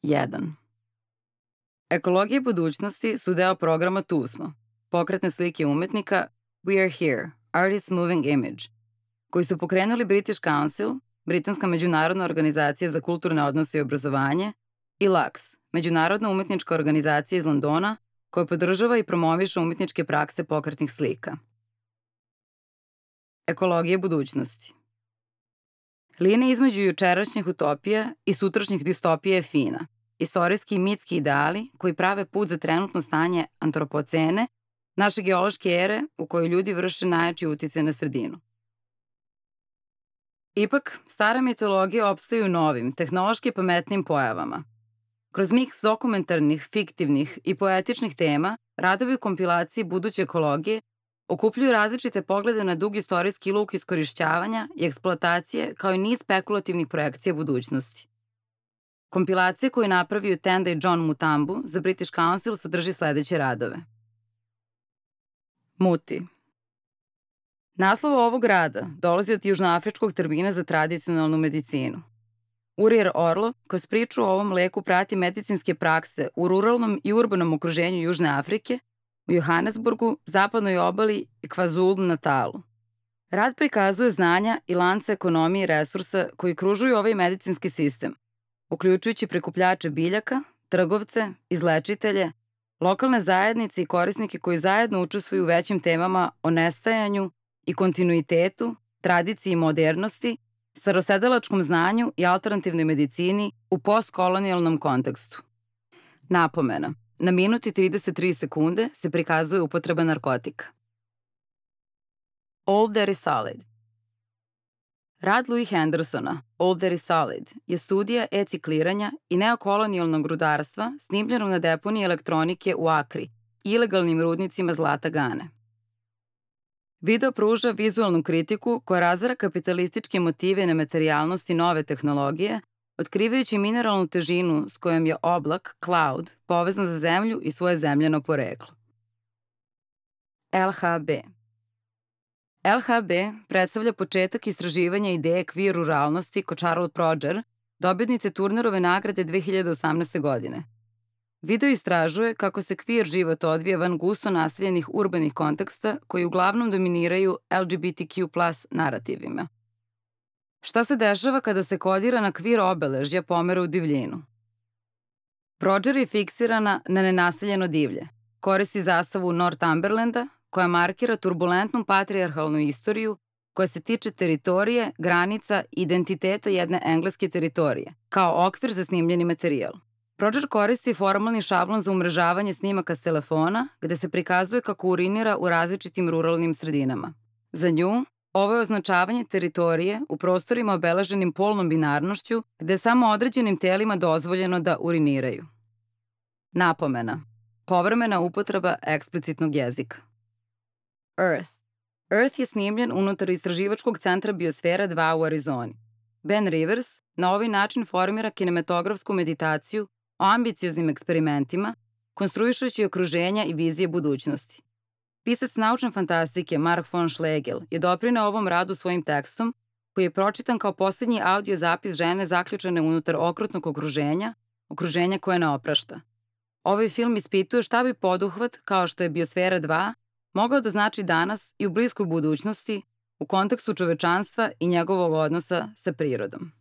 1. Ekologije budućnosti su deo programa Tu smo, pokretne slike umetnika We Are Here, Artist Moving Image, koji su pokrenuli British Council, britanska međunarodna organizacija za kulturne odnose i obrazovanje, i LUX, međunarodna umetnička organizacija iz Londona, koja podržava i promoviše umetničke prakse pokretnih slika. Ekologije budućnosti. Linija između jučerašnjih utopija i sutrašnjih distopija je fina. Istorijski i mitski ideali koji prave put za trenutno stanje antropocene, naše geološke ere u kojoj ljudi vrše najjači uticaj na sredinu. Ipak, stara mitologija opstaju novim, tehnološki pametnim pojavama. Kroz miks dokumentarnih, fiktivnih i poetičnih tema, radovi u kompilaciji buduće ekologije okupljuju različite poglede na dug istorijski luk iskorišćavanja i eksploatacije kao i niz spekulativnih projekcija budućnosti. Kompilacija koju je napravio Tenda i John Mutambu za British Council sadrži sledeće radove. Muti. Naslov ovog rada dolazi od južnoafričkog termina za tradicionalnu medicinu. Urijer Orlov kroz priču o ovom leku prati medicinske prakse u ruralnom i urbanom okruženju Južne Afrike, u Johannesburgu, zapadnoj obali i KwaZulu-Natalu. Rad prikazuje znanja i lance ekonomije i resursa koji kružuju ovaj medicinski sistem, uključujući prikupljače biljaka, trgovce, izlečitelje, lokalne zajednice i korisnike koji zajedno učestvuju u većim temama o nestajanju i kontinuitetu, tradiciji i modernosti, starosedelačkom znanju i alternativnoj medicini u postkolonijalnom kontekstu. Napomena. Na minut i 33 sekunde se prikazuje upotreba narkotika. All That Is Solid. Rad Louis Hendersona, All That Is Solid, je studija e-cikliranja i neokolonijalnog rudarstva snimljenog na deponiji elektronike u Akri, ilegalnim rudnicima zlata Gane. Video pruža vizualnu kritiku koja razara kapitalističke motive nematerijalnosti nove tehnologije, otkrivajući mineralnu težinu s kojom je oblak, cloud, povezan za zemlju i svoje zemljeno poreklo. LHB. LHB predstavlja početak istraživanja ideje queer ruralnosti kod Charlotte Proger, dobitnice Turnerove nagrade 2018. godine. Video istražuje kako se queer život odvija van gusto naseljenih urbanih konteksta koji uglavnom dominiraju LGBTQ+ narativima. Šta se dešava kada se kodirana queer obeležja pomera u divljinu? Proger je fiksirana na nenaseljeno divlje. Koristi zastavu Northumberlanda, koja markira turbulentnu patrijarhalnu istoriju koja se tiče teritorije, granica i identiteta jedne engleske teritorije, kao okvir za snimljeni materijal. Proger koristi formalni šablon za umrežavanje snimaka s telefona, gde se prikazuje kako urinira u različitim ruralnim sredinama. Za nju, ovo je označavanje teritorije u prostorima obeleženim polnom binarnošću, gde je samo određenim telima dozvoljeno da uriniraju. Napomena. Povremena upotreba eksplicitnog jezika. Earth. Earth je snimljen unutar istraživačkog centra Biosfera 2 u Arizoni. Ben Rivers na ovaj način formira kinematografsku meditaciju o ambicioznim eksperimentima, konstruišući okruženja i vizije budućnosti. Pisac naučne fantastike Mark von Schlegel je doprineo ovom radu svojim tekstom, koji je pročitan kao poslednji audio zapis žene zaključane unutar okrutnog okruženja koje ne oprašta. Ovaj film ispituje šta bi poduhvat, kao što je Biosfera 2, mogao da znači danas i u bliskoj budućnosti u kontekstu čovečanstva i njegovog odnosa sa prirodom.